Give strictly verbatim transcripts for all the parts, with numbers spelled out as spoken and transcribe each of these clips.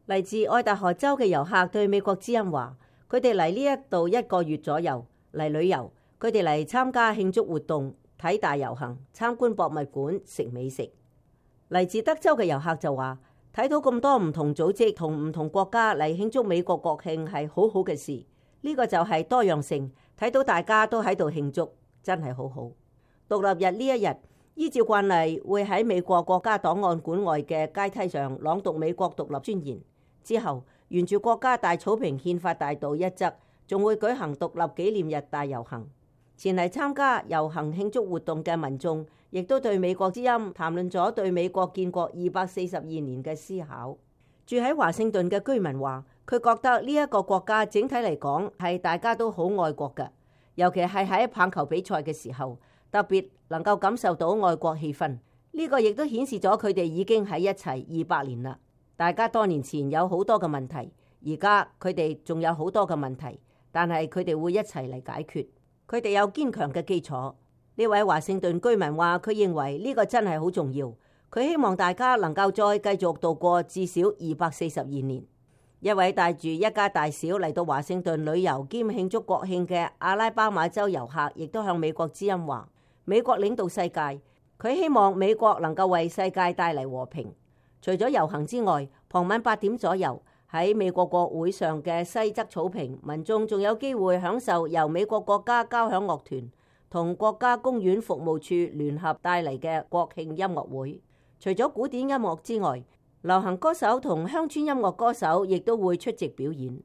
嚟自愛達荷州嘅遊客對美國之音話，佢哋嚟呢一度一個月左右嚟旅遊，佢哋嚟參加慶祝活動、睇大遊行、參觀博物館、食美食。嚟自德州嘅遊客就話，睇到咁多唔同組織同唔同國家嚟慶祝美國國慶係好好嘅事，呢個就係多樣性，睇到大家都喺度慶祝，真係好好。獨立日呢一日，依照慣例會喺美國國家檔案館外嘅階梯上朗讀美國獨立宣言，之後沿住國家大草坪憲法大道一側，仲會舉行獨立紀念日大遊行。前嚟參加遊行慶祝活動嘅民眾，亦都對美國之音談論咗對美國建國二百四十二年嘅思考。住喺華盛頓嘅居民話，佢覺得呢一個國家整體嚟講係大家都好愛國嘅，尤其係喺棒球比賽嘅時候，特別能夠感受到愛國氣氛。呢個亦都顯示咗佢哋已經喺一齊二百年啦。大家多年前有好多嘅問題，而家佢哋仲有好多嘅問題，但係佢哋會一齊嚟解決。佢哋有堅強嘅基礎。呢位華盛頓居民話，佢認為呢個真係好重要。佢希望大家能夠再繼續度過至少二百四十二年。一位帶住一家大小嚟到華盛頓旅遊兼慶祝國慶嘅阿拉巴馬州遊客，亦都向美國之音話，美國領導世界，佢希望美國能夠為世界帶嚟和平。除咗遊行之外，傍晚八點左右喺美國國會上嘅西側草坪，民眾仲有機會享受由美國國家交響樂團同國家公園服務處聯合帶嚟嘅國慶音樂會。除咗古典音樂之外，流行歌手同鄉村音樂歌手亦都會出席表演。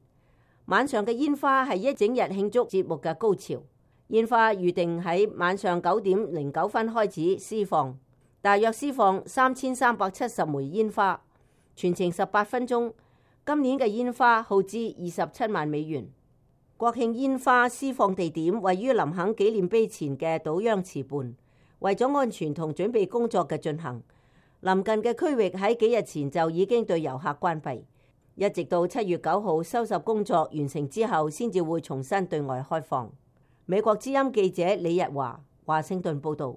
晚上嘅煙花係一整日慶祝節目嘅高潮。煙花預定喺晚上九點零九分開始施放，大約施放三千三百七十枚煙花，全程十八分鐘。今年嘅煙花耗資二十七萬美元。國慶煙花施放地點位於林肯紀念碑前嘅島央池畔。為咗安全同準備工作嘅進行，臨近嘅區域喺幾日前就已經對遊客關閉，一直到七月九號收拾工作完成之後，先至會重新對外開放。美國之音記者李日華，華盛頓報道。